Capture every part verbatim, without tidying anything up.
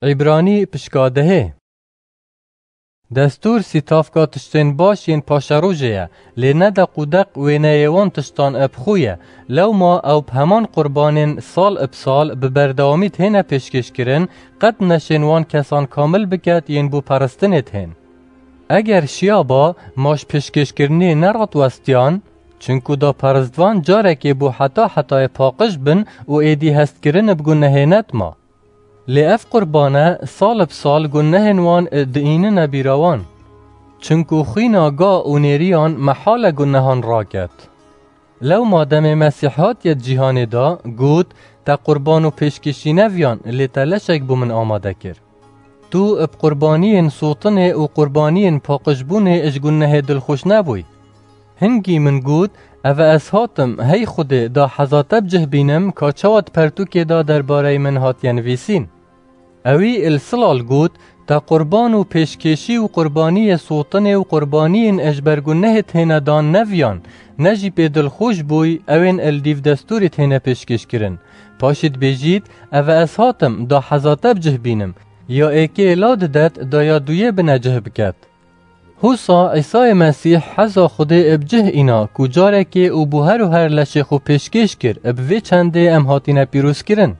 Îbranî pişka dehê. Destûr sîtavka tiştên baş yên paşerojê ye, lê ne deq û deq wêneyê wan tiştan bi xwe ye. Lewma ew bi heman qurbanên sal bi sal bi berdewamî têne pêşkêşkirin, qet neşên wan kesan kamil biket yên bo peristinê dihên. Eger şiyaba, ma ji pêşkêşkirinê nerat westiyan, çinku da peristvan carekê bo heta hetayê paqij bin û êdî hestkirin bi gunehê nedima. Lê ev qurbane sal bi sal gunehên wan diînine bîra wan. Çinku xwîna ga û nêriyan mehal e gunehan raket. Lewma demê Mesîh hatiye di cîhanê de, got, "Te qurban û pêşkêşî neviyan, lê te leşek bo min amade kir." Tu bi qurbaniyên sotinê û qurbaniyên paqijbûnê ji gunehê dilxweş nebûy. Hingî min got, "Eve ez hatim, hey Xwedê, da heza te bi cih bînim, ka çawa di pertûkê de derbareyê min hatiye nivîsîn." Ewî li silal got, "Te qurban û pêşkêşî û qurbaniyê sotinê û qurbaniyên ji ber gunehê têne dan neviyan, ne jî pê dilxweş bûy, ewên li dîv destûrê têne pêşkêşkirin. Paşî dibêjît, 'Eve ez hatim, da heza te bi cih bînim.' Ya êkê la didet, da ya duyê bine cih biket." Husa Îsayê Mesîh heza Xwedê bi cih îna ku carekê û bo her û her leşê xwe pêşkêş kir, bi vê çendê em hatine pîrozkirin.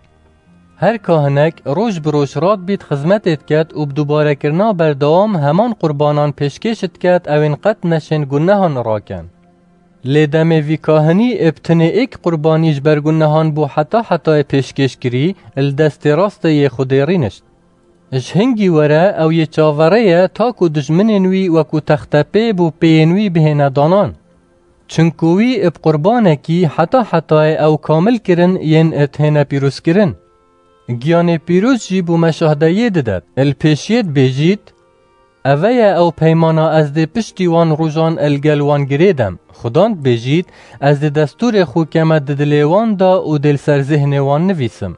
Her kahinek roj bi roj radbît xizmetê diket û bi dubarekirina berdewam heman qurbanan pêşkêş diket, ewên qet neşên gunehan raken. Lê demê vî kahinî bi tinê êk qurbanî ji ber gunehan bo heta hetayê pêşkêş kirî, li destê rastê yê Xwedê rînişt. Ji hingî were ew yê çaverê ye, ta ku dijminên wî wekû textepê bo pêyên wî bihêne danan. Çinku wî bi qurbanekî heta hetayê ew kamil kirin yên têne pîrozkirin. Giyanê pîroz jî bo me şahdeyê didet, li pêşiyê dibêjît, "Eve ye ew peymana ez dê piştî wan rojan li gel wan girêdem." Xudan dibêjît, "Ez dê destûrê xwe keme di dilê wan de û dê li ser zêhnê wan nivîsim."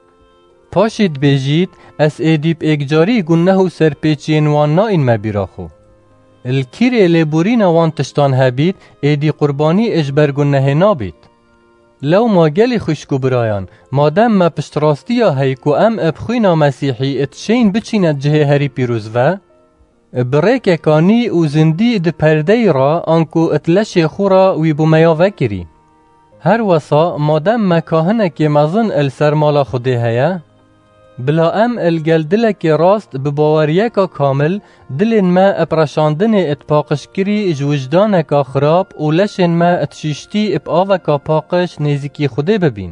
Paşî dibêjît, "Ez êdî bi êkcarî guneh û serpêçiyên wan naînme bîra xwe." Li kîrê lêborîna wan tiştan hebît, êdî qurbanî ji ber gunehê nabît. Lewma gelî xwişk û birayan, madem me piştrastiya hey ku em bi xwîna Mesîhî dişên biçîne cihê herî pîroz ve, bi rêkeka nî û zindî di perdeyî re anku di leşê xwe re wî bo me ya vekirî. Her wesa madem me kahinekê mezin li ser mala Xwedê heye, bila em li gel dilekê rast bi baweriyeka kamil dilên me bi reşandinê di paqijkirî ji wijdaneka xirab û leşên me di şîştî bi aveka paqij nêzîkî Xwedê bibîn.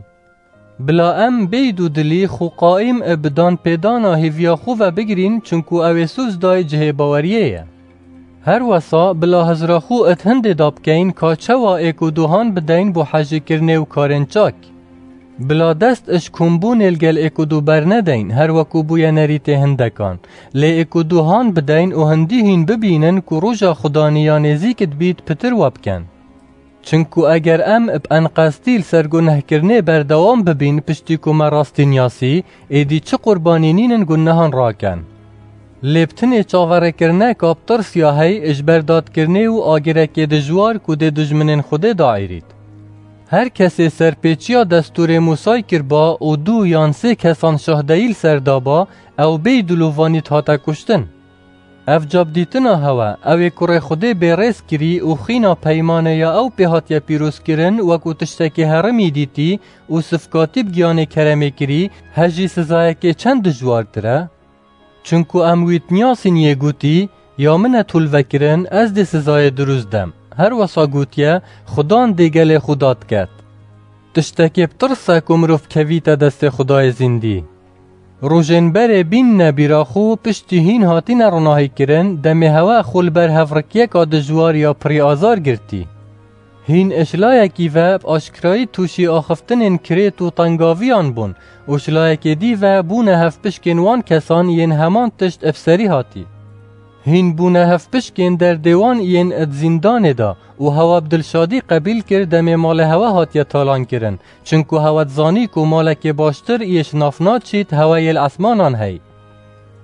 Bila em bêyî dûdilî xwe qaîm bi danpêdana hêviya xwe ve bigirîn, çunku ew ê soz dayê cihê baweriyê ye. Her wesa bila hizra xwe di hindê de bikeyn ka çawa êk û duhan bideyn bo hejêkirinê û karên çak. Bila dest ji kombûnê li gel êk û du bernedeyn, her wekû bûye nerîtê hindekan. Lê êk û duhan bideyn û hindî hîn bibînin ku roja Xudanî ya nêzîk dibît pitir we bikin. Çinku eger em bi enqestî li ser gunehkirinê berdewam bibîn piştî ku me rastî niyasî, êdî çi qurbanî nînin gunehan raken. Lê bi tinê çaverêkirineka bi tirsiya hey ji ber dadkirinê û agirekê dijwar ku dê dijminên Xwedê daîrît. Her kesê serpêçiya destûrê Mûsay kirba û du yan sê kesan şahdeyî li ser daba, ew bêyî dilovanî dihate kuştin. Ev cabdîtina hewe, ew ê kurê Xwedê bêrêz kirî û xîna peymanê ya ew pê hatiye pîrozkirin wekû tiştekî herimî dîtî û sifkatî bi giyanê keremê kirî, he jî sizayekê çend dijwartir e? Çunku em wî diniyasîn yê gotî, "Ya min e tolvekirin, ez dê sizayê dirûst dem." Her wesa gotiye, "Xudan dê gelê xwe dad ket." Tiştekê bi tirs e ku mirov kevîte destê Xwedayê zîndî. Rojên berê bînine bîra xwe, piştî hîn hatine ronahîkirin, demê hewe xwe li ber hevrikiyeka dijwar ya pirî azar girtî. Hîn ji layekî ve bi aşkirayî tûşî axiftinên kirêt û tengaviyan bûn û ji layekê dî ve bûne hevpişkên wan kesan yên heman tişt bi serî hatî. Hîn bûne hevpişkên derdê wan yên di zîndanê de û hewa bi dilşadî qebîl kir demê malê hewe hatiye talankirin, çinku hewe dizanî ku malekê baştir yê ji nav naçît heweyê li esmanan hey.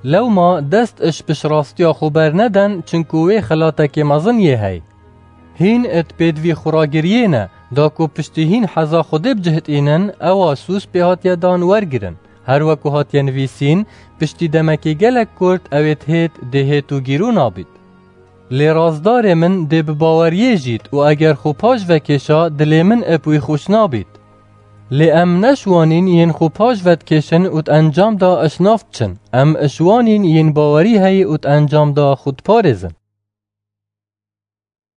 Lewma dest ji piştrastiya xwe bernedin, çinku wê xelatekê mezin yê hey. Hîn di pêdivî xwe re giriyê ne, da ku piştî hîn heza Xwedê bi cih tînin, ewa soz pê hatiye dan wergirin. Her weku hatiye nivîsîn, piştî demekê gelek kurt ew ê dihêt, dê hêt û gîrû nabît. Lê rastdarê min dê bi baweriyê jît û eger xwe paş vekêşa, dilê min ep wî xweş nabît. Lê em neşwanîn yên xwe paş vedikêşin û di encam de eşnaf diçin. Em şwanîn yên bawerî heyî û di encam de xwe diparêzin.